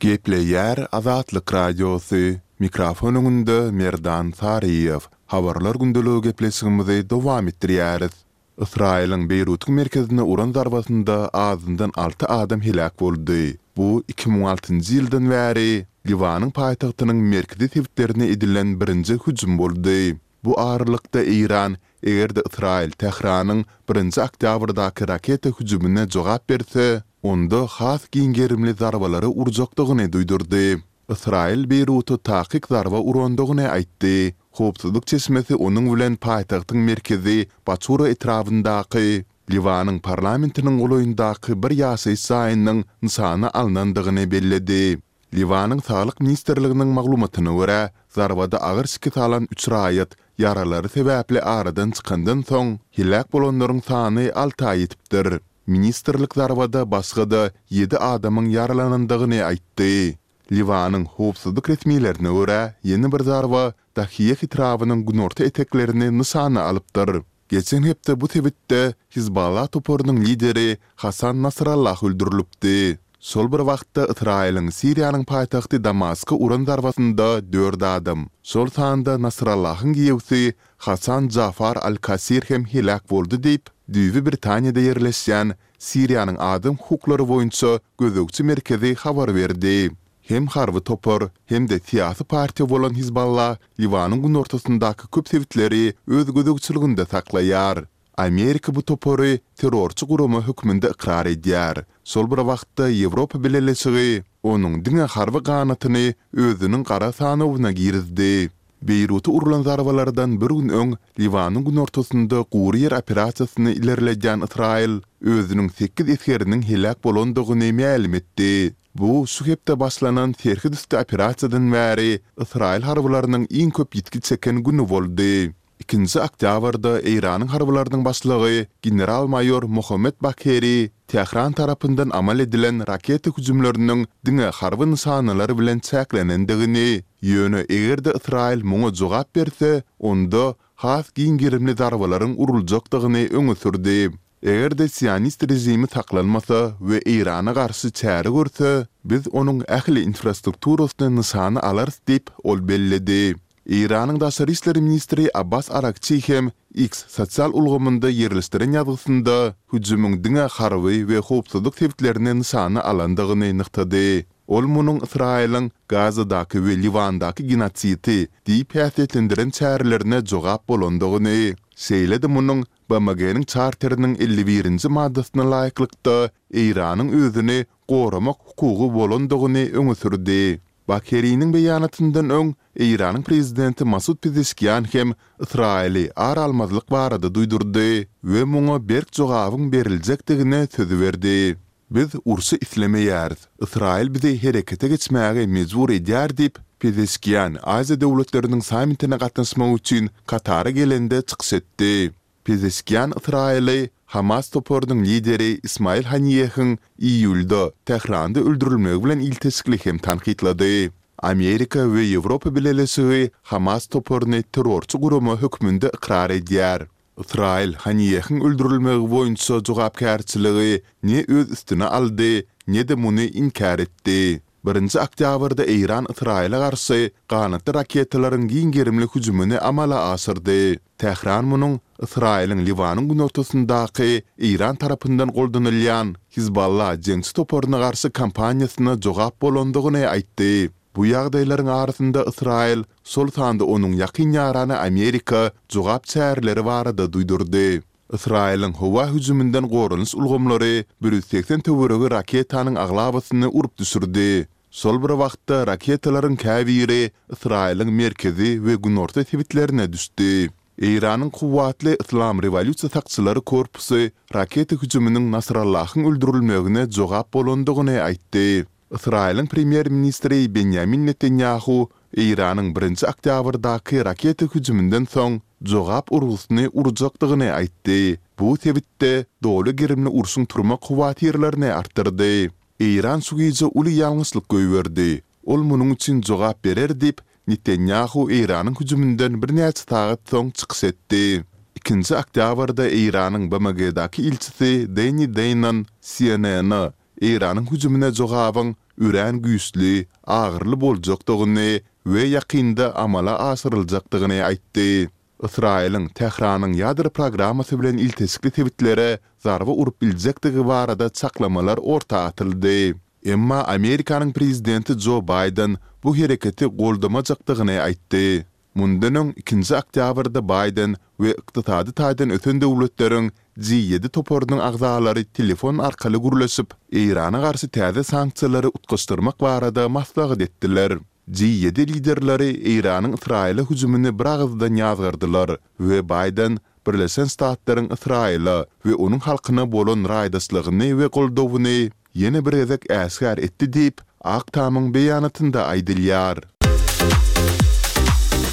Gepleýär Azatlyk Radiosy, mikrofon öňünde Merdan Saryýew. Habarlar gündeligi gepleşigimizi dowam etdirýäris. Ysraýylyň Beýrutyň merkezine uran zarbasynda azyndan alty adam heläk boldy. Bu 2006-njy ýyldan bäri Liwanyň paýtagtynyň merkezi sebitlerine edilen birinji hüjüm boldy. Bu aralykda Eýran, eger-de Ysraýyl Tähranyň birinji oktýabrdaky raketa hüjümine jogap berse, onda has giň gerimli zarbalary urjakdygyny duýdurdy. Ysraýyl Beýruta takyk zarba urandygyny aýtdy. Howpsuzlyk çeşmesi onuň bilen paýtagtyň merkezi Baçura etrabyndaky Liwanyň parlamentiniň golaýyndaky bir ýaşaýyş jaýynyň nyşana alnandygyny belledi. Liwanyň Saglyk ministrliginiň maglumatyna görä, zarbada agyr şikes alan üç raýat ýaralary sebäpli aradan çykandan soň, heläk bolanlaryň sany alta ýetipdir. Ministrlik zarbada başga-da ýedi adamyň ýaralanandygyny aýtdy. Liwanyň howpsuzlyk resmilerine görä, ýene bir zarba Dahiýeh etrabynyň günorta eteklerini nyşana alypdyr. Geçen hepde bu sebitde Hizballah toparynyň lideri Hasan Nasrallah öldürilipdi. Şol bir wagtda Ysraýylyň Siriýanyň paýtagty Damaska uran zarbasynda dört adam, şol sanda Nasrallahyň giýewsi Hasan Jafar al-Kasir hem heläk boldy diýip, düýbi Britaniýada ýerleşýän Siriýanyň adam hukuklary boýunça gözegçi merkezi habar berdi. Hem harby topar, hem-de syýasy partiýa bolan Hizballah Liwanyň günortasyndaky köp sebitleri öz gözegçiliginde saklaýar. Amerika bu topary terrorçy gurama hökmünde ykrar edýär. Şol bir wagtda Ýewropa Bileleşigi onuň diňe harby ganatyny özüniň gara sanawyna girizdi. Beýruta urlan zarbalardan bir gün öň Liwanyň günortasynda gury ýer operasiýasyny ilerledýän Ysraýyl özüniň sekiz esgeriniň heläk bolandygyny mälim etdi. Bu şu hepde başlanan serhet üsti operasiýadan bäri ysraýyl harbylarynyň iň köp ýitgi çeken güni boldy. Ikinji oktýabrda Eýranyň harbylarynyň başlygy general-maýor Mohammed Bagheri Tähran tarapyndan amal edilen raketa hüjümleriniň diňe harby nyşanalar bilen çäklenendigini, ýöne eger-de Ysraýyl muňa jogap berse, onda has giň gerimli zarbalaryň uruljakdygyny öňe sürdi. Eger-de sionist režimi saklanmasa we Eýrana garşy çäre görse, biz onuň ähli infrastrukturasyny nyşana alarys diýip, ol belledi. Eýranyň daşary işler ministri Abbas Aragçi hem X sosial ulgamynda ýerleşdiren ýazgysynda hüjümiň diňe harby we howpsuzlyk sebitlerini nyşana alandygyny nygtady. Ol munuň Ysraýylyň Gazadaky we Liwandaky genosidi diýip häsiýetlendiren çärelerine jogap bolandygyny, şeýle-de munuň BMG-niň Çarteriniň 51-nji maddasyna laýyklykda, Eýranyň özüni goramak hukugy bolandygyny öňe sürdi. Bakeriniň beýanatyndan öň, Eýranyň prezidenti Masud Pezeşkian hem Ysraýyly ar almazlyk barada duýdurdy we muňa berk jogabyň beriljekdigine söz berdi. Biz urşy islemeýäris. Ysraýyl bizi herekete geçmäge mejbur edýär diýip, Pezeşkian Aziýa döwletleriniň sammitine gatnaşmak üçin Katara gelende çykyş etdi. Pezeşkian Ysraýyly Hamas toparynyň lideri Ismail Haniýehiň iýulda Tähranda öldürilmegi bilen ilteşikli hem tankytlady. Amerika we Ýewropa Bileleşigi Hamas toparyny terrorçy gurama hökmünde ykrar edýär. Ysraýyl Haniýehiň öldürilmegi boýunça jogapkärçiligi ne öz üstüne aldy, ne-de muny inkär etdi. Birinji oktýabrda Eýran Ysraýyla garşy ganatly raketalaryň giň gerimli hüjümini amala aşyrdy. Tähran munuň Ysraýylyň Liwanyň günortasyndaky Eýran tarapyndan goldanylýan Hizballa jeňçi toparyna garşy kampaniýasyna jogap bolandygyny aýtdy. Bu ýagdaýlaryň arasynda Ysraýyl, şol sanda onuň ýakyn ýarany Amerika jogap çäreleri barada duýdurdy. Ysraýylyň howa hüjüminden goranyş ulgamlary 180 töweregi raketanyň aglabasyny urup düşürdi. Şol bir wagtda raketalaryň käbiri Ysraýylyň merkezi we günorta sebitlerine düşdi. Eýranyň kuwwatly Yslam rewolýusiýa sakçylary korpusy raketa hüjüminiň Nasrallahyň öldürilmegine jogap bolandygyny aýtdy. Ysraýylyň premýer-ministri Benýamin Netanýahu Eýranyň birinji oktýabrdaky raketa hüjüminden soň jogap urgusyny urjakdygyny aýtdy. Bu sebitde doly gerimli urşuň turmak howatyrlaryny artdyrdy. Eýran şu gije uly ýalňyşlyk goýberdi. Ol munuň üçin jogap berer diýip, Netanýahu Eýranyň hüjüminden birnäçe sagat soň çykyş etdi. Ikinji oktýabrda Eýranyň BMG-daky ilçisi Denni Deýnon CNN-a. Eýranyň hüjümine jogabyň örän güýçli, agyryly boljakdygyny we ýakynda amala aşyryljakdygyny aýtdy. Ysraýylyň Tähranyň ýadro programmasy bilen ilteşikli sebitlere zarba urup biljekdigi barada çaklamalar orta atyldy. Emma Amerikanyň prezidenti Jo Baýden bu hereketi goldamajakdygyny aýtdy. Mundan öň, ikinji oktýabrda Baýden we ykdysady taýdan ösen döwletleriň G ýedi toparynyň agzalary telefon arkaly gürleşip, Eýrana garşy täze sanksiýalary utgaşdyrmak barada maslahat etdiler. G ýedi liderleri Eýranyň Ysraýyla hüjümini biragyzdan ýazgardylar we Baýden Birleşen Ştatlaryň Ysraýyla we onuň halkyna bolan raýdaşlygyny we goldawyny ýene bir gezek äşgär etdi diýip, Ak tamyň beýanatynda aýdylýar.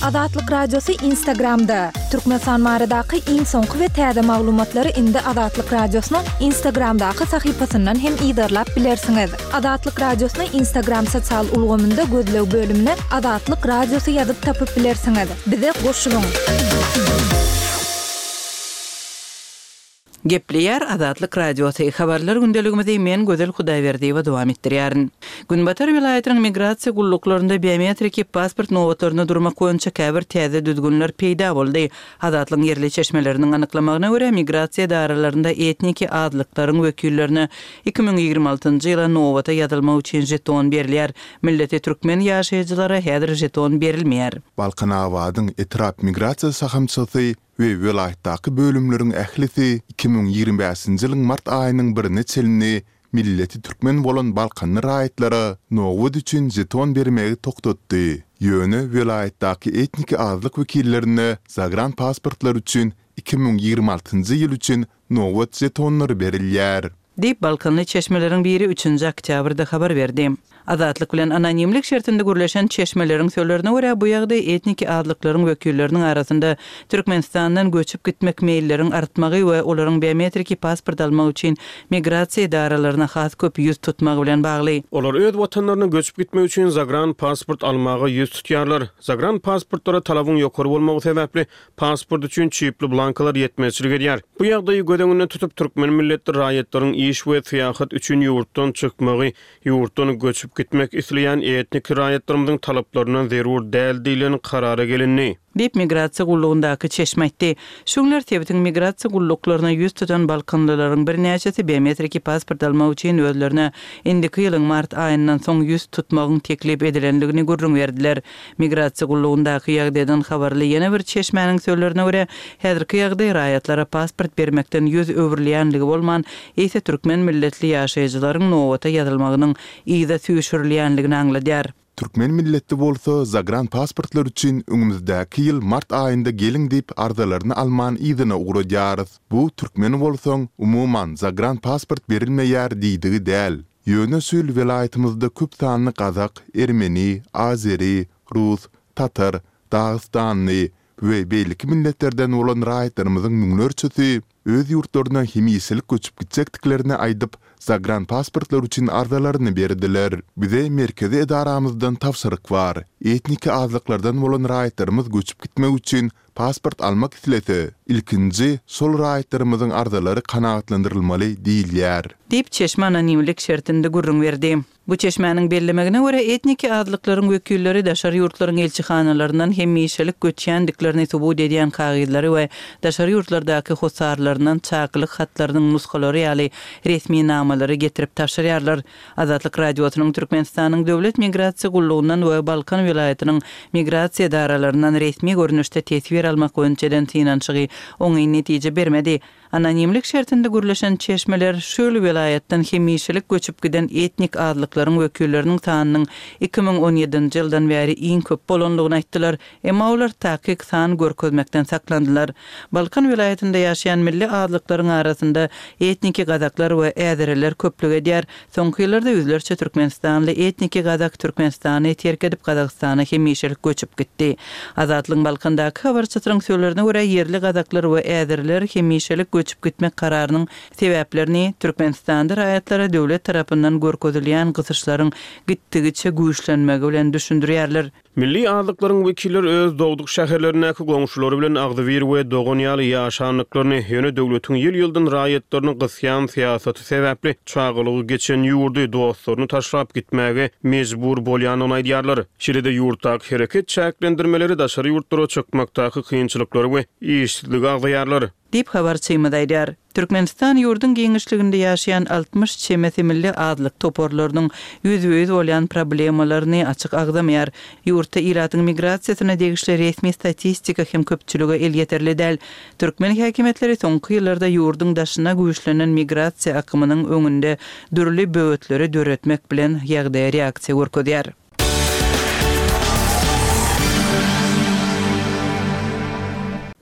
Azatlyk Radiosy Instagramda, Türkmenistan baradaky iň soňky we täze maglumatlary indi Azatlyk Radiosynyň Instagramdaky sahypasyndan hem yzarlap bilersiňiz. Azatlyk Radiosyny Instagram sosial ulgamynda gözleg bölümine Azatlyk Radiosy ýazyp tapyp bilersiňiz. Bize goşulyň! Gepleýär Azatlyk Radiosy, Habarlar gündeligimizi men Gözel Hudaýberdiýewa dowam etdirýärin. Günbatar welaýatynyň migrasiýa gulluklarynda biometriki pasport nobatlarynda durmak boýunça käbir täze düzgünler peýda boldy. Azatlygyň ýerli çeşmeleriniň anyklamagyna görä, migrasiýa edaralarynda etniki azlyklaryň wekillerine 2026-njy ýyla nobata ýazylmak üçin žeton berilýär. Milleti türkmen ýaşaýjylara häzir žeton berilmeýär. Balkanabadyň etrap migrasiýa şahamçasy we welaýatdaky bölümleriň ählisi 2025-nji ýylyň mart aýynyň birine çenli milleti türkmen bolan balkanly raýatlara nobat üçin žeton bermegi togtatdy. Ýöne welaýatdaky etniki azlyk wekillerine zagran pasportlar üçin 2026-njy ýyl üçin nobat žetonlary berilýär. Diýip, balkanly çeşmeleriň biri üçünji oktýabrda habar berdi. Azatlyk bilen anonimlik şertinde gürleşen çeşmeleriň sözlerine görä, bu ýagdaý etniki azlyklaryň wekilleriniň arasynda Türkmenistandan göçüp gitmek meýilleriň artmagy we olaryň biometriki pasport almak üçin migrasiýa edaralaryna has köp ýüz tutmagy bilen bagly. Olar öz watanlaryna göçüp gitmek üçin zagran pasport almaga ýüz tutýarlar. Zagran pasportlara talabyň ýokary bolmagy sebäpli, Pasport üçin çipli blankalar ýetmezçilik edýär. Bu ýagdaýy göz öňünde tutup, türkmen milletli raýatlaryň iş we syýahat üçin ýurtdan çykmagy ýurtdan göçüp gitmek isleýän etniki raýatlarymyzyň talaplaryndan zerur däl diýlen karara gelindi. Diýip, migrasiýa gullugyndaky çeşme aýtdy. Şu günler sebitiň migrasiýa gulluklaryna ýüz tutan balkanlylaryň birnäçesi biometriki pasport almak üçin özlerine indiki ýylyň mart aýyndan soň ýüz tutmagyň teklip edilendigini gürrüň berdiler. Migrasiýa gullugyndaky ýagdaýdan habarly ýene bir çeşmäniň sözlerine görä, häzirki ýagdaý raýatlara pasport bermekden ýüz öwrülýänligi bolman, eýse türkmen milletli ýaşaýjylaryň nobata ýazylmagynyň yza süýşürilýänligini aňladýar. Türkmen milletli bolsa zagran pasportlar üçin öňümizdäki ýyl mart aýynda geliň diýip arzalaryny alman yzyna ugradýarys. Bu türkmen bolsaň umuman zagran pasport berilmeýär diýdigi däl. Ýöne şu ýyl welaýatymyzda köp sanly gazak, ermeni, azeri, rus, tatar, dagystanly we beýleki milletlerden bolan raýatlarymyzyň müňlerçesi öz ýurtlaryna hemişelik göçüp gitjekdiklerini aýdyp, zagranpasportlar üçin arzalaryny berdiler. Bize merkezi edaramyzdan tabşyryk bar. Etniki azlyklardan bolan raýatlarymyz göçüp gitmek üçin Pasport almak islese, ilkinji şol raýatlarymyzyň arzalary kanagatlandyrylmaly diýilýär. Diýip, çeşme anonimlik şertinde gürrüň berdi. Bu çeşmäniň bellemegine görä, etniki azlyklaryň wekilleri daşary ýurtlaryň ilçihanalaryndan hemişelik göçýändiklerini subut edýän kagyzlary we daşary ýurtlardaky hossarlaryndan çakylyk hatlarynyň nusgalary ýaly resminamalary getirip tabşyrýarlar. Azatlyk Radiosynyň Türkmenistanyň Döwlet migrasiýa gullugyndan we Balkan welaýatynyň migrasiýa edaralaryndan resmi görnüşde teswir almak boýunça eden synanyşygy oňyn netije bermedi. Anonimlik şertinde gürleşen çeşmeler şu ýyl welaýatdan hemişelik göçüp giden etnik azlyklaryň wekilleriniň sanynyň 2017-nji ýyldan bäri iň köp bolandygyny aýtdylar. Emma olar takyk san görkezmekden saklandylar. Balkan welaýatynda ýaşaýan milli azlyklaryň arasynda etniki gazaklar we äzeriler köplük edýär. Soňky ýyllarda ýüzlerçe türkmenistanly etniki gazak Türkmenistany terk edip Gazagystana hemişelik göçüp gitdi. Azatlygyň Balkandaky habarçysynyň sözlerine görä, ýerli gazaklar we äzeriler hemişelik göçüp. göçüp gitmek kararynyň sebäplerini Türkmenistanda raýatlara döwlet tarapyndan görkezilýän gysyşlaryň gitdigiçe güýçlenmegi bilen düşündirýärler. Milli azlyklaryň wekilleri öz dogduk şäherlerindäki goňşulary bilen agzybir we dogan ýaly ýaşandyklaryny, ýöne döwletiň ýyl-ýyldan raýatlaryny gysýan syýasaty sebäpli çagalygy geçen ýurdy, dostlaryny taşlap gitmäge mejbur bolýandygyny aýdýarlar. Şeýle-de ýurtdaky hereket çäklendirmeleri, daşary ýurtlara çykmakdaky kynçylyklary we işsizligi agzaýarlar. Diýip, habarçymyz aýdýar. Türkmenistan ýurduň giňişliginde ýaşaýan 60 çemesi milli azlyk toparlarynyň ýüzbe-ýüz bolýan problemalaryny açyk agzamaýar. Ýurtda ilatyň migrasiýasyna degişli resmi statistika hem köpçülige elýeterli däl. Türkmen häkimiýetleri soňky ýyllarda ýurduň daşyna güýçlenen migrasiýa akymynyň öňünde dürli böwetleri döretmek bilen ýagdaýa reaksiýa görkezýär.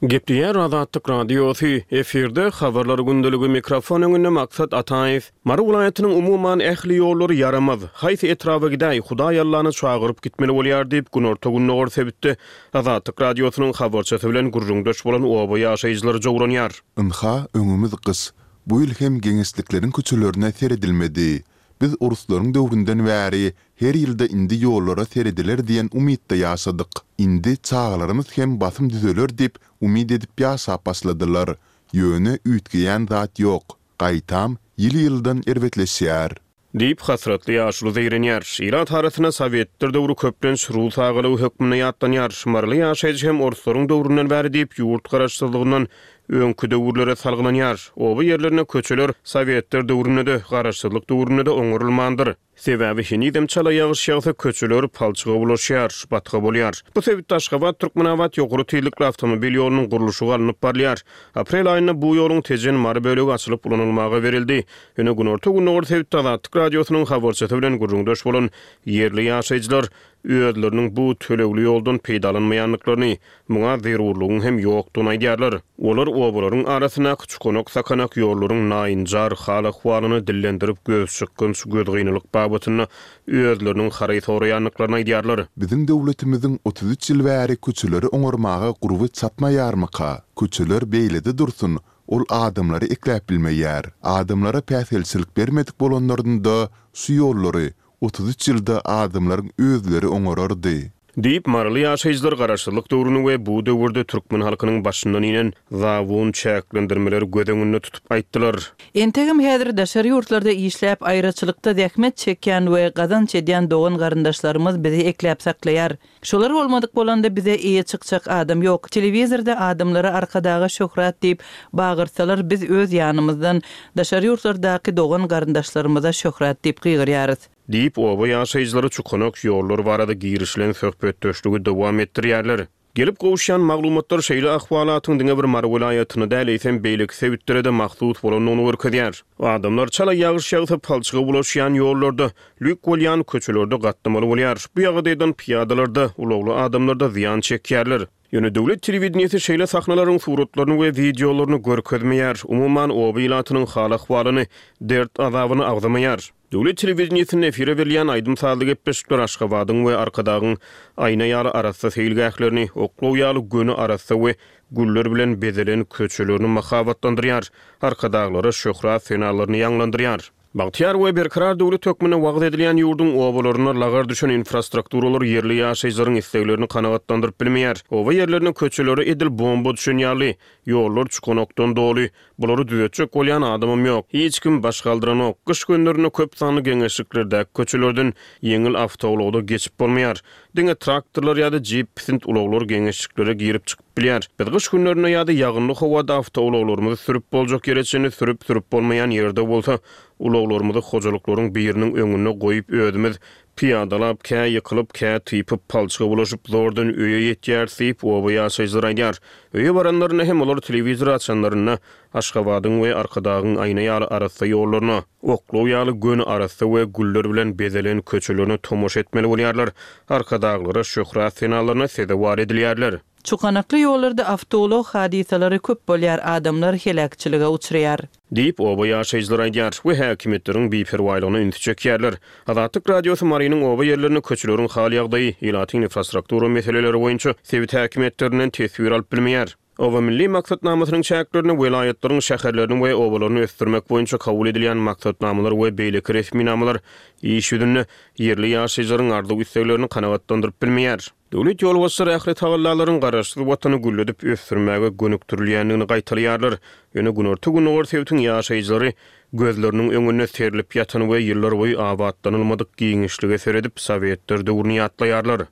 Gepleýär Azatlyk Radiosy, efirde Habarlar gündeligi, mikrofon öňünde Maksat Ataýew. Mary welaýatynyň umuman ähli ýollary ýaramaz. Haýsy etraba gidäý, Hudaý Allany çagyryp gitmeli bolýar diýip, günorta-gündogar sebitde Azatlyk Radiosynyň habarçysy bilen gürrüňdeş bolan oba ýaşaýjylary jowranýar. Ynha, öňümiz gyş. Bu ýyl hem geňeşlikleriň köçelerine seredilmedi. Biz oruslaryň döwründen bäri her ýylda indi ýollara serediler diýen umytda ýaşadyk. Indi çagalarymyz hem basym düzeler diýip umyt edip ýaşap başladylar. Ýöne üýtgeýän zat ýok. Gaýtam, ýyl-ýyldan erbetleşýär. Diýip, hasratly ýaşuly zeýrenýär. Ilat arasynda sowetler döwri köplenç rus agalygy hökmünde ýatlanýar. Maryly ýaşaýjy hem orslaryň döwründen bäri diýip, ýurt garaşsyzlygyndan öňki döwürlere salgylanýar. Oba ýerlerinde köçeler sowetler döwründe-de, garaşsyzlyk döwründe-de oňarylmandyr. Sebäbi henizem çala ýagyş ýagsa köçeler palçyga bulaşýar, batga bolýar. Bu sebitde Aşgabat-Türkmenabat ýokary tizlikli awtomobil ýolunyň gurluşygy alnyp barylýar. Aprel aýynda bu ýoluň Tejen-Mary bölegi açylyp ulanylmaga berildi. Ýöne günorta-gündogar sebitde Azatlyk Radiosynyň habarçysy bilen gürrüňdeş bolan ýerli ýaşaýjylar özleriniň bu tölegli ýoldan peýdalanmaýandyklaryny, muňa zerurlygyň hem ýokdugyny aýdýarlar. Olar obalaryň arasyndaky çukanak-sakanak ýollaryň naýynjar hal-ahwalyny dillendirip, gözçykgynç, gözgynylyk babatynda özleriniň haraý soraýandyklaryny aýdýarlar. Biziň döwletimiziň 33 ýyl bäri köçeleri oňarmaga gurby çatmaýarmyka? Köçeler beýlede dursun, ol adamlary ekläp bilmeýär. Adamlara päsgelçilik bermedik bolanlarynda şu ýollary 33 ýylda adamlaryň özleri oňarardy. Diýip, maryly ýaşaýjylar garaşsyzlyk döwrüni we bu döwürde türkmen halkynyň başyndan inen zabun çäklendirmeleri göz öňünde tutup aýtdylar. Entegem häzir daşary ýurtlarda işläp, aýraçylykda zähmet çekýän we gazanç edýän dogan-garyndaşlarymyz bizi ekläp saklaýar. Şolar bolmadyk bolanda bize eýe çykjak adam ýok. Telewizorda adamlara Arkadaga şöhrat diýip bagyrsalar biz öz ýanymyzdan daşary ýurtlardaky dogan garyndaşlarymyza şöhrat diýip gygyrýarys. Diýip, oba ýaşaýjylary çukanak ýollar barada girişilen söhbetdeşligi dowam etdirýärler. Gelip gowuşýan maglumatlar şeýle ahwalatyň diňe bir Mary welaýatyna däl, eýsem, beýleki sebitlere-de mahsus bolandygyny görkezýär. Adamlar çala ýagyş ýagsa palçyga bulaşýan ýollarda, lük bolýan köçelerde gatnamaly bolýar. Bu ýagdaýdan pyýadalar-da, ulagly adamlar-da zyýan çekýärler. Ýöne döwlet telewideniýesi şeýle sahnalaryň suratlaryny we wideolaryny görkezmeýär, umuman, oba ilatynyň hal-ahwalyny, dert-azabyny agzamaýar. Döwlet telewideniýesinde efire berilýän aýdym-sazly gepleşikler Aşgabadyň we Arkadagyň aýna ýaly arassa seýilgählerini, oklaw ýaly göni arassa we güller bilen bezelen köçelerini mahabatlandyrýar, Arkadaglara şöhrat senalaryny ýaňlandyrýar. Bagtyýar we berkarar döwlet hökmünde wagyz edilýän ýurduň obalarynda lagar düşen infrastrukturalar ýerli ýaşaýjylaryň isleglerini kanagatlandyryp bilmeýär. Oba ýerlerinde köçelere edil bomba düşen ýaly, ýollar çukanakdan doly. Bulary düzetjek bolýan adamam ýok. Hiç kim baş galdyranok. Gyş günlerinde köp sanly geňeşliklerdäki köçelerden ýeňil awtoulagda geçip bolmaýar. Diňe traktorlar ýa-da jip pisint ulaglar geňeşliklere girip-çykyp bilýär. Biz gyş günlerinde ýa-da ýagynly howada awtoulaglarymyzy sürüp boljak ýere çenli sürüp, sürüp bolmaýan ýerde bolsa ulaglarymyzy hojalyklaryň biriniň öňünde goýup özümiz pyýadalap, kä ýykylyp, kä typyp, palçyga bulaşyp zordan öýe ýetýäris diýip, oba ýaşaýjylary aýdýar. Öýe baranlarynda hem olar telewizory açanlarynda Aşgabadyň we Arkadagyň aýna ýaly arassa ýollaryna, oklaw ýaly göni arassa we güller bilen bezelen köçelerine tomaşa etmeli bolýarlar, Arkadaglara şöhrat senalaryna sezewar edilýärler. Çukanakly ýollarda awtoulag hadysalary köp bolýar, adamlar heläkçilige uçraýar. Diýip, oba ýaşaýjylary aýdýar we häkimiýetleriň biperwaýlygyna ünsi çekýärler. Azatlyk Radiosy Marynyň oba ýerlerinde köçeleriň hal-ýagdaýy, ilatyň infrastruktura meseleleri boýunça sebit häkimiýetlerinden teswir alyp bilmeýär. Oba milli maksatnamasynyň çäklerinde welaýatlaryň şäherlerini we obalaryny ösdürmek boýunça kabul edilýän maksatnamalar we beýleki resminamalar iş ýüzünde ýerli ýaşaýjylaryň arzuw-isleglerini kanagatlandyryp bilmeýär. Döwlet ýolbaşçylary ähli tagallalaryň Garaşsyz Watany gülledip ösdürmäge gönükdirilýändigini gaýtalaýarlar. Ýöne günorta-gündogar sebitiň ýaşaýjylary gözleriniň öňünde serlip ýatan we ýyllarboýy abatlanylmadyk giňişlige seredip, sowetler döwrüni ýatlaýarlar.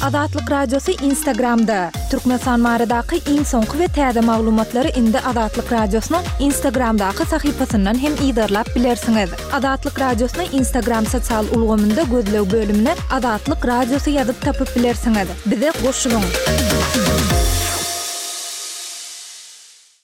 Azatlyk Radiosy Instagramda, Türkmenistan baradaky iň soňky we täze maglumatlary indi Azatlyk Radiosynyň Instagramdaky sahypasyndan hem yzarlap bilersiňiz. Azatlyk Radiosyny Instagram sosial ulgamynda gözleg bölümine Azatlyk Radiosy ýazyp tapyp bilersiňiz. Bize goşulyň!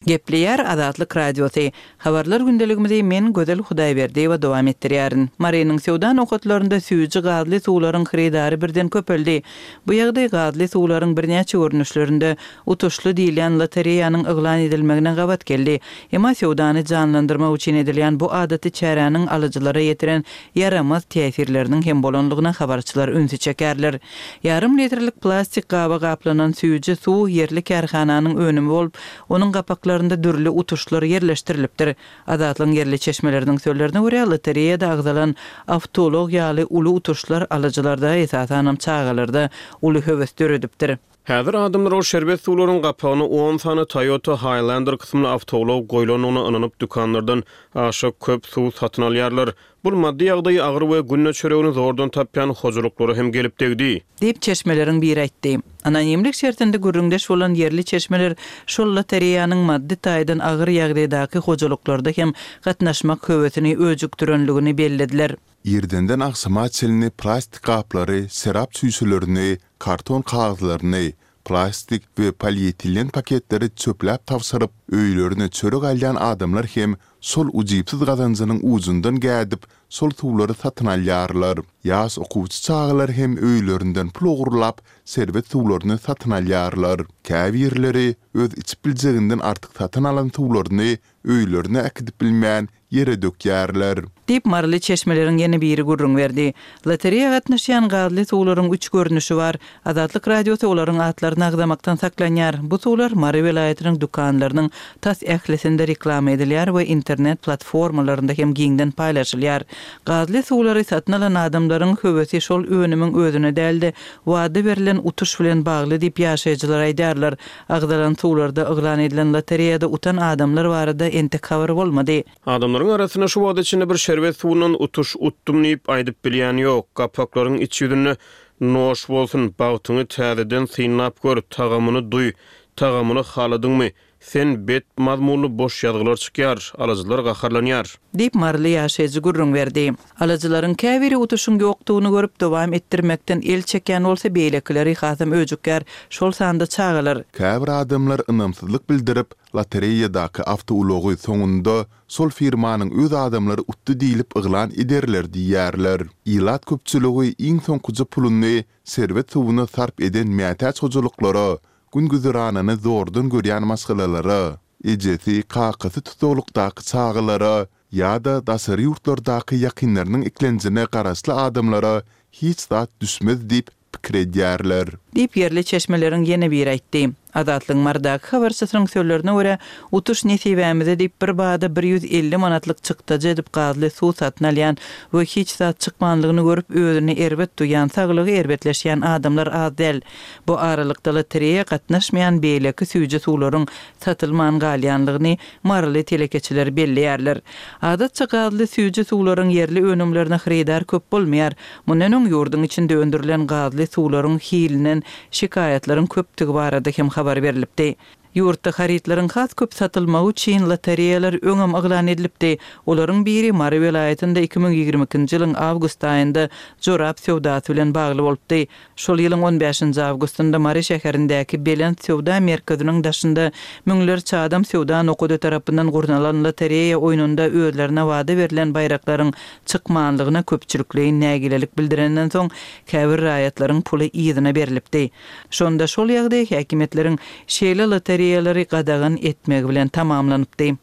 Gepleýär Azatlyk Radiosy. Habarlar gündeligimizi men, Gözel Hudaýberdiýewa dowam etdirýärin. Marynyň söwda nokatlarynda süýji gazly suwlaryň hyrydary birden köpeldi. Bu ýagdaý gazly suwlaryň birnäçe görnüşlerinde utuşly diýilýän lotereýanyň yglan edilmegine gabat geldi. Emma söwdany janlandyrmak üçin edilýän bu adaty çäräniň alyjylara ýetiren ýaramaz täsirleriniň hem bolanlygyna habarçylar ünsi çekerler. Ýarym litrlik plastik gaba gaplanan süýji suw ýerli kärhananyň önümi bolup, onuň gapaklarynda dürli utuşlar ýerleşdirilipdir. Azatlygyň ýerli çeşmeleriniň sözlerine görä, lotereýada agzalan awtoulag ýaly uly utuşlar alyjylarda, esasanam çagalarda uly höwes döredipdir. Häzir adamlar ol şerbet suwlaryň gapagyna on sany Toyota Highlander kysymly awtoulag goýlandygyna ynanyp dükanlardan aşa köp suw satyn alýarlar. Bul maddy ýagdaýy agyr we günde çöregini zordan tapýan hojalyklara hem gelip degdi. Diýip, çeşmeleriň biri aýtdy. Anonimlik şertinde gürrüňdeş bolan ýerli çeşmeler şol lotereýanyň maddy taýdan agyr ýagdaýdaky hojalyklarda hem gatnaşmak höwesini öjükdirenligini bellediler. Irdenden agşama çenli plastik gaplary, şerap çüýşelerini, karton kagyzlaryny, plastik we polietilen paketleri çöpläp tabşyryp, öýlerine çörek alýan adamlar hem şol ujypsyz gazanjynyň ujundan gädip, şol suwlary satyn alýarlar. Ýaş okuwçy çagalar hem öýlerinden pul ogurlap, şerbet suwlaryny satyn alýarlar. Käbirleri öz içip biljeginden artyk satyn alan suwlaryny öýlerine äkidip bilmän, ýere dökýärler. Diýip, maryly çeşmeleriň ýene biri gürrüň berdi. Lotereýa gatnaşýan gazly suwlaryň üç görnüşi bar. Azatlyk Radiosy olaryň atlaryny agzamakdan saklanýar. Bu suwlar Mary welaýatynyň dükanlarynyň tas ählisinde reklama edilýär we internet platformalarynda hem giňden paýlaşylýar. Gazly suwlary satyn alan adamlaryň höwesi şol önümiň özüne däl-de, wada berlen utuş bilen bagly diýip, ýaşaýjylar aýdýarlar. Agzalan suwlarda yglan edilen lotereýada utan adamlar barada entek habar bolmady. Adamlaryň arasynda şu wagta çenli bir şerbet suwundan utuş utdum diýip aýdyp bilýän ýok. Gapaklaryň iç ýüzünde Noş bolsun, bagtyňy täzeden synlap gör, tagamyny duý, tagamyny haladyňmy, Sen bet mazmunly boş ýazgylar çykýar, alyjylar gaharlanýar. Diýip, maryly ýaşaýjy gürrüň berdi. Alyjylaryň käbiri utuşyň ýokdugyny görüp, dowam etdirmekden el çekýän bolsa, beýlekileri hasam öjükýär, şol sanda çagalar. Käbir adamlar ynamsyzlyk bildirip, lotereýadaky awtoulagy soňunda şol firmanyň öz adamlary utdy diýlip yglan ederler diýýärler. Ilat köpçüligi iň soňkuja puluny şerbet suwuna sarp eden mätäç hojalyklara gün-güzeranyny zordan görýän maşgalalara, ejesi, kakasy tussaglykdaky çagalara ýa-da daşary ýurtlardaky ýakynlarynyň eklenjine garaşly adamlara hiç zat düşmez diýip pikir edýärler. Diýip, ýerli çeşmeleriň ýene biri aýtdy. Azatlygyň Marydaky habarçysynyň sözlerine görä, utuş nesibämize diýip, bir bada 150 manatlyk çykdajy edip gazly suw satyn alýan we hiç zat çykmanlygyny görüp, özüni erbet duýýan, saglygy erbetleşýän adamlar az däl. Bu aralykda lotereýa gatnaşmaýan beýleki süýji suwlaryň satylman galýanlygyny maryly telekeçiler belleýärler. Adatça gazly süýji suwlaryň ýerli önümlerine hyrydar köp bolmaýar. Mundan öň ýurduň içinde öndürilen gazly suwlaryň hilinden şikaýatlaryň köpdügi barada hem habar berlipdi. Ýurtda harytlaryň has köp satylmagy üçin lotereýalar öňem yglan edilipdi. Olaryň biri Mary welaýatynda 2022-nji ýylyň awgust aýynda jorap söwdasy bilen bagly bolupdy. Şol ýylyň on bäşinji awgustynda Mary şäherindäki Belent söwda merkeziniň daşynda müňlerçe adam söwda nokady tarapyndan gurnalan lotereýa oýnunda özlerine wada berlen baýraklaryň çykmanlygyna köpçülikleýin nägilelik bildirenden soň, käbir raýatlaryň puly yzyna berlipdi. Şonda şol ýagdaý häkimiýetleriň şeýle lotereýalary gadagan etmegi bilen tamamlanypdy.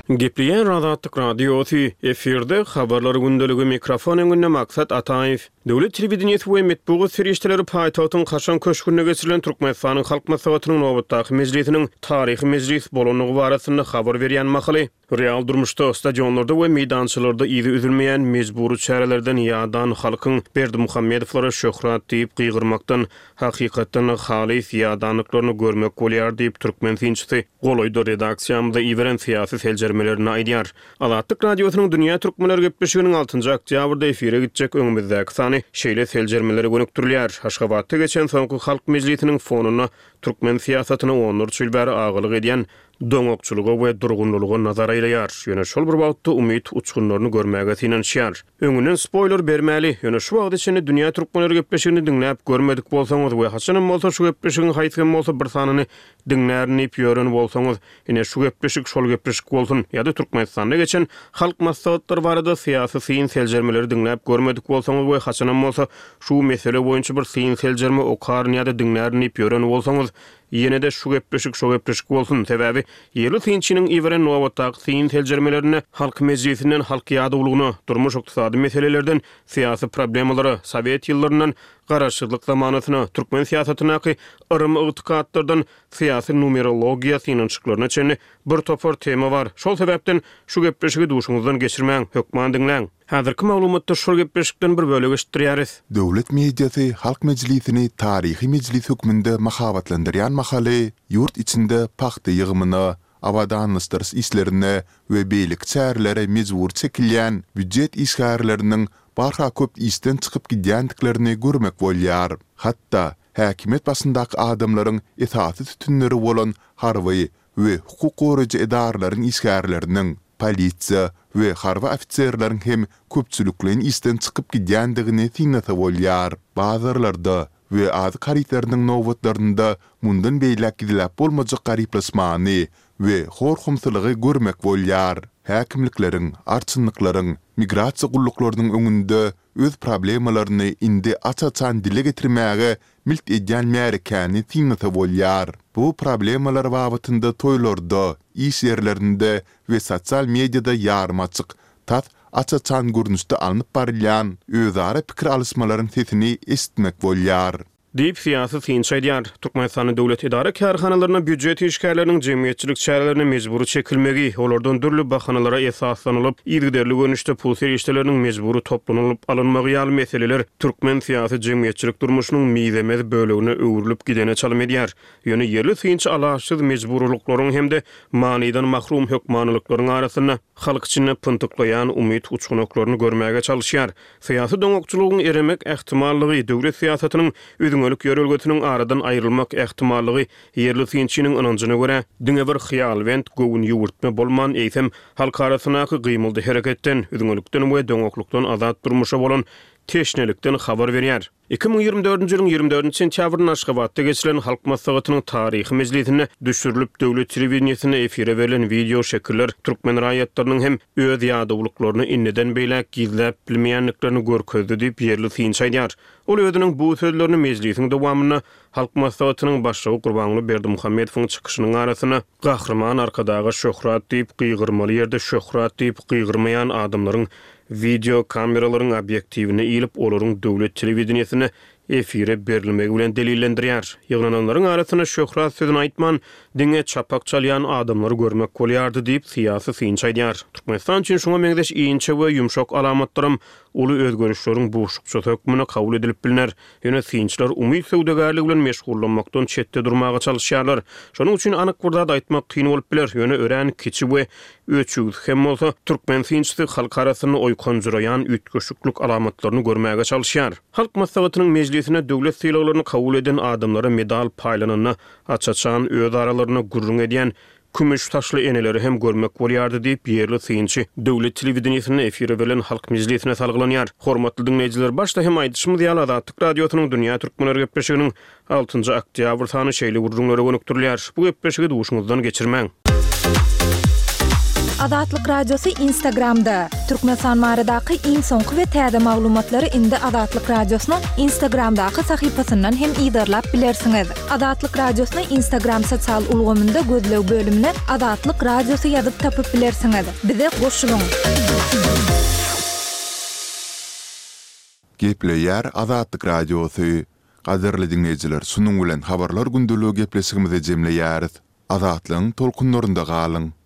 Gepleýär Azatlyk Radiosy, efirde Habarlar gündeligi, mikrofon öňünde Maksat Ataýew. Döwlet telewideniýesi we metbugat serişdeleri paýtagtyň kaşaň köşgünde geçirilen Türkmenistanyň Halk Maslahatynyň nobatdaky mejlisiniň taryhy mejlis bolandygy barasynda habar berýän mahaly, real durmuşda, stadionlarda we meýdançalarda yzy üzülmeýän mejbury çärelerden ýadan halkyň Berdimuhamedowlara şöhrat diýip gygyrmakdan hakykatdan-da halys ýadandyklaryny görmek bolýar diýip, türkmen synçysy golaýda redaksiýamyza iberen syýasy seljermelerinde aýdýar. Azatlyk Radiosynyň Dünýä Türkmenleri gepleşiginiň altynjy oktýabrda efire gitjek öňümizdäki sany şeýle seljermelere gönükdirilýär. Aşgabatda geçen soňky Halk Mejlisiniň fonunda türkmen syýasatyna onlarça ýyl bäri agalyk edýän doňakçylyga we durgunlylyga nazar aýlaýar, ýöne şol bir wagtda umyt uçgunlaryny görmäge synanyşýar. Öňünden spoýler bermäli, ýöne şu wagta çenli Dünýä Türkmenleri gepleşigini diňläp görmedik bolsaňyz we haçanam bolsa şu gepleşigiň haýsy hem bolsa bir sanyny diňlärin diýip ýören bolsaňyz, ine şu gepleşik şol gepleşik bolsun, ýa-da Türkmenistanda geçen Halk maslahatlary barada syýasy syn seljermeleri diňläp görmedik bolsaňyz we haçanam bolsa şu mesele boýunça bir syn seljerme okaryn ýa-da diňlärin diýip ýören bolsaňyz, ýene-de şu gepleşik şo gepleşik bolsun, sebäbi ýerli synçynyň iberen nobatdaky syn seljermelerinde Halk Mejlisinden halk ýadawlygyna, durmuş-ykdysady meselelerden syýasy problemalara, sowet ýyllaryndan Garaşsyzlyk zamanasyna, türkmen syýasatyndaky yrym-ygtykatlardan syýasy numerologiýa synanyşyklaryna çenli bir topar tema bar. Şol sebäpden şu gepleşigi duşuňyzdan geçirmäň, hökman diňläň. Häzirki maglumatda şol gepleşikden bir bölek eşitdirýäris. Döwlet mediasy Halk Mejlisini taryhy mejlis hökmünde mahabatlandyrýan mahaly, ýurt içinde pagta ýygymyna, abadanlaşdyryş işlerine we beýleki çärelere mejbury çekilýän býujet işgärleriniň barha köp işden çykyp gidýändiklerini görmek bolýar. Hatda, häkimiýet başyndaky adamlaryň esasy sütünleri bolan harby we hukuk goraýjy edaralaryň işgärleriniň, polisiýa we harby ofiserleriň hem köpçülikleýin işden çykyp gidýändigini synlasa bolýar. Bazarlarda we azyk harytlarynyň nobatlarynda mundan beýläk gizläp bolmajak garyplaşmany we hor-homsylygy görmek bolýar. Häkimlikleriň, arçynlyklaryň, migrasiýa gulluklarynyň öňünde öz problemalaryny indi aç-açan dile getirmäge milt edýän märekäni synlasa bolýar. Bu problemalar babatynda toýlarda, iş ýerlerinde we sosial mediada ýarym açyk, tas aç-açan görnüşde alnyp barylýan özara pikir alyşmalaryň sesini eşitmek bolýar. Diýip, syýasy synçy aýdýar. Türkmenistanda döwlet edara-kärhanalarynda býujet işgärleriniň jemgyýetçilik çärelerine mejbury çekilmegi, olardan dürli bahanalara esaslanylyp, yzygiderli görnüşde pul serişdeleriniň mejbury toplanylyp alynmagy ýaly meseleler türkmen syýasy-jemgyýetçilik durmuşynyň mizemez bölegine öwrülip gidene çalym edýär. Ýöne ýerli synçy alaçsyz mejburylyklaryň hem-de manydan mahrum hökmanylyklaryň arasynda halk içinde pyntyklaýan umyt uçganaklaryny görmäge çalyşýar. Syýasy doňakçylygyň eremek ähtimallygy, döwlet syýasatynyň üzňelik ýörelgesiniň aradan aýrylmak ähtimallygy ýerli synçynyň ynanjyna görä, diňe bir hyýalbent göwün ýüwürtme bolman, eýsem, halk arasyndaky gymyldy-hereketden, üzňelikden we doňaklykdan azat durmuşa bolan teşnelikden habar berýär. 2024-nji ýylyň 24 nji sentýabrynda Aşgabatda geçirilen Halk Maslahatynyň taryhy mejlisinde düşürilip, döwlet telewideniýesinde efire berlen wideo şekiller türkmen raýatlarynyň hem öz ýadawlyklaryny indiden beýläk gizläp bilmeýändiklerini görkezdi diýip, ýerli synçy aýdýar. Ol özüniň bu sözlerini mejlisiň dowamynda Halk Maslahatynyň Başlygy Gurbanguly Berdimuhamedowyň çykyşynyň arasynda Gahryman Arkadaga şöhrat diýip gygyrmaly ýerde şöhrat diýip gygyrmaýan adamlaryň wideo kameralaryň obýektiwine ilip olaryň döwlet telewideniýesinde efire berilmegi bilen delillendirýär. Ýygnananlaryň arasynda şöhrat sözüni aýtman, diňe çapak çalýan adamlary görmek bolýardy diýip, syýasy synçy aýdýar. Türkmenistan üçin şuňa meňzeş inçe we ýumşak alamatlaram uly özgerişleriň buşlukçysy hökmünde kabul edilip bilner. Ýöne synçylar umyt söwdagärligi bilen meşgullanmakdan çetde durmaga çalyşýarlar. Şonuň üçin anyk bir zat aýtmak kyn bolup biler, ýöne örän kiçi we öçügsi hem bolsa, türkmen synçysy halk arasynda oýkanjyraýan üýtgeşiklik alamatlaryny görmäge çalyşýar. Halk Maslahatynyň mejlisinde döwlet sylaglaryny kabul eden adamlara medal paýlananda, aç-açan öz aralarynda gürrüň edýän Kümüş saçly eneleri hem görmek bolýardy diýip, ýerli synçy döwlet telewideniýesinde efire berlen Halk mejlisine salgylanýar. Hormatly diňleýjiler, başda hem aýdyşymyz ýaly, Azatlyk Radiosynyň Dünýä türkmenleri gepleşiginiň altynjy oktýabr sany şeýle gürrüňlere gönükdirilýär. Bu gepleşigi duşuňyzdan geçirmäň. Azatlyk Radiosy Instagramda! Türkmenistan baradaky iň soňky we täze maglumatlary indi Azatlyk Radiosynyň Instagramdaky sahypasyndan hem yzarlap bilersiňiz. Azatlyk Radiosyny Instagram sosial ulgamynda gözleg bölümine Azatlyk Radiosy ýazyp tapyp bilersiňiz. Bize goşulyň! Gepleýär Azatlyk Radiosy. Gadyrly diňleýjiler şunuň bilen Habarlar gündeligi gepleşigimizi jemleýäris. Azatlygyň tolkunlarynda galyň!